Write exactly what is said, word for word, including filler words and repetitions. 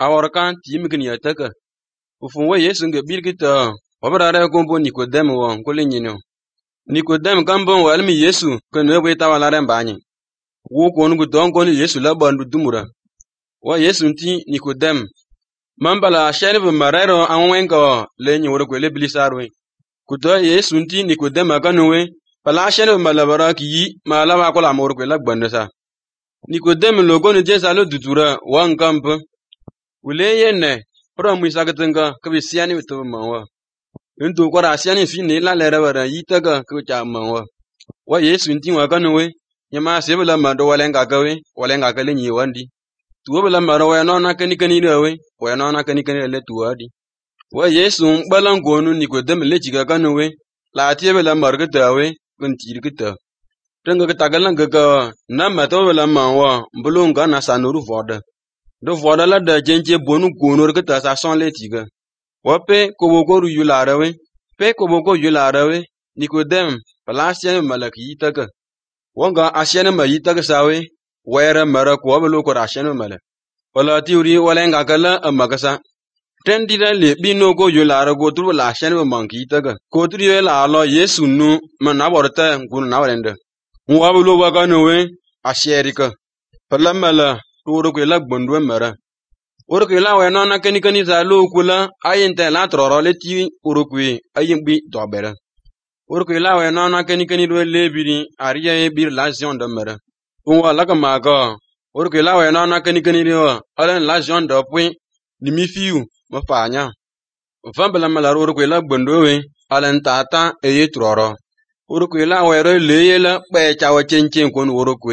awarkan timkin ya taka ufun wa Yesu nge birkita wabrara kombo Nikodem wa kulinyino Nikodem kambon walmi Yesu kanwe weta walare mbanye wo konu gudon konu Yesu la bandu dumura wa Yesu nti Nikodem mambala shenbe marero anwenga lenyi woro kwele bilisarwe kudo Yesu nti Nikodem akanwe pala shenbe malabara ki malaba kola moro kwela gbandasa Nikodem logo ni jesa lo dutura wangamp wule yenne pro muisagatenga kabisiani to mawa ntu kwara siani fini la lera wara yitaga ko cha mawa wa Yesu nti wakanwe nyama sebela mando walenga gawe walenga kale nyi wandi tuwabela maro wa nona kani kani rewe wa nona kani kani le tuwadi wa Yesu balan gonu Nikodem le jiga kanwe la tiebela marga tawe kun tirkita tanga ka tagalan ga na mato bela mawa mbulunga na sanuru voda do voda la da jenje bonu gonor ka ta sa son le tiga wa pe ko boko ru yularewe pe ko boko yularewe Nikodem palasien malaki taka wanga asiene mayita ka sawe wera mara ko belo ko asiene mala wala tiuri wala ngakala amagasa tendira le bino ko yulare go turu la asiene manki taka ko turu la lo Yesu nu mana borta ngun na wende wa belo wa kanwe asierika palamala turu ko la gbondwe mara oro la we nona keni keni za lo kula ayente la troro le ti oro ko ayimbi dobera oro la we nona keni keni do le biri ariya e bir la zion de mara unwa la ka maga oro la we nona keni keni ro alen la zion de point limi fiu ma fanya fambala mala oro la gbondo we alen tata e ye troro oro la we ro le yela pe chawo chenchen kon oro ko